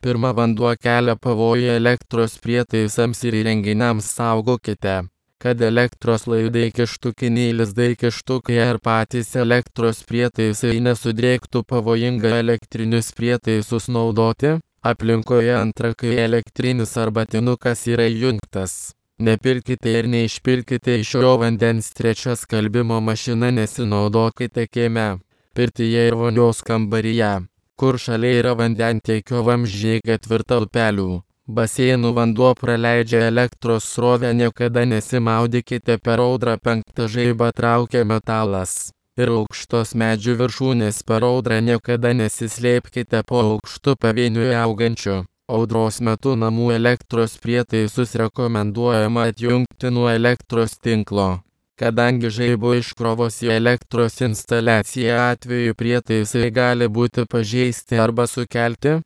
pirma, vanduo kelia pavojų elektros prietaisams ir įrenginiams. Saugokite, kad elektros laidai, kištukiniai lizdai, kištukai ar patys elektros prietaisai nesudrėktų. Pavojinga elektrinius prietaisus naudoti aplinkoje. Antra, kai elektrinis arbatinukas yra įjungtas, nepilkite ir neišpilkite iš jo vandens. Trečia, skalbimo mašina nesinaudokite kieme, pirtyje ir vonios kambaryje, kur šalia yra vandentiekio vamzdžiai. Ketvirta, upelių, baseinų vanduo praleidžia elektros srovę, niekada nesimaudykite per audrą. Penkta, žaibą traukia metalas ir aukštos medžių viršūnės. Per audrą niekada nesislėpkite po aukštu pavieniui augančiu. Audros metu namų elektros prietaisus rekomenduojama atjungti nuo elektros tinklo, kadangi žaibo iškrovos į elektros instaliaciją atveju prietaisai gali būti pažeisti arba sukelti